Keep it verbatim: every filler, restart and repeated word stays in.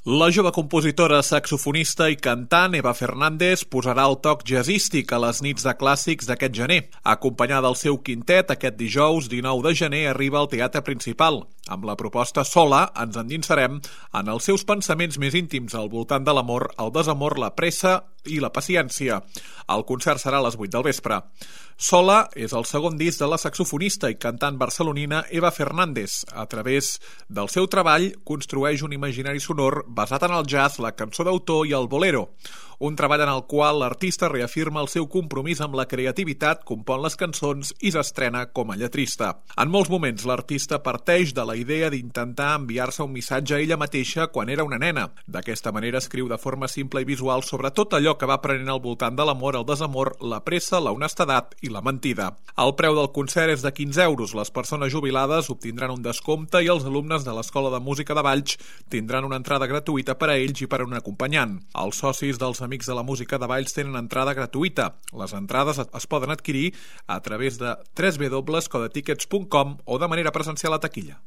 La jove compositora, saxofonista i cantant Eva Fernández posarà el toc jazzístic a les nits de clàssics d'aquest gener. Acompanyada del seu quintet, aquest dijous dinou de gener arriba al Teatre Principal. Amb la proposta Sola ens endinsarem en els seus pensaments més íntims al voltant de l'amor, el desamor, la pressa i la paciència. El concert serà a les vuit del vespre. Sola és el segon disc de la saxofonista i cantant barcelonina Eva Fernández. A través del seu treball construeix un imaginari sonor basat en el jazz, la cançó d'autor i el bolero. Un treball en el qual l'artista reafirma el seu compromís amb la creativitat, compon les cançons i s'estrena com a lletrista. En molts moments l'artista parteix de la idea d'intentar enviar-se un missatge a ella mateixa quan era una nena. D'aquesta manera escriu de forma simple i visual sobre tot allò que va aprenent al voltant de l'amor, el desamor, la pressa, la honestedat i la mentida. El preu del concert és de quinze euros. Les persones jubilades obtindran un descompte i els alumnes de l'Escola de Música de Valls tindran una entrada gratuïta per a ells i per a un acompanyant. Els socis dels Amics de la Música de Valls tenen entrada gratuïta. Les entrades es poden adquirir a través de w w w punt codetickets punt com o de manera presencial a taquilla.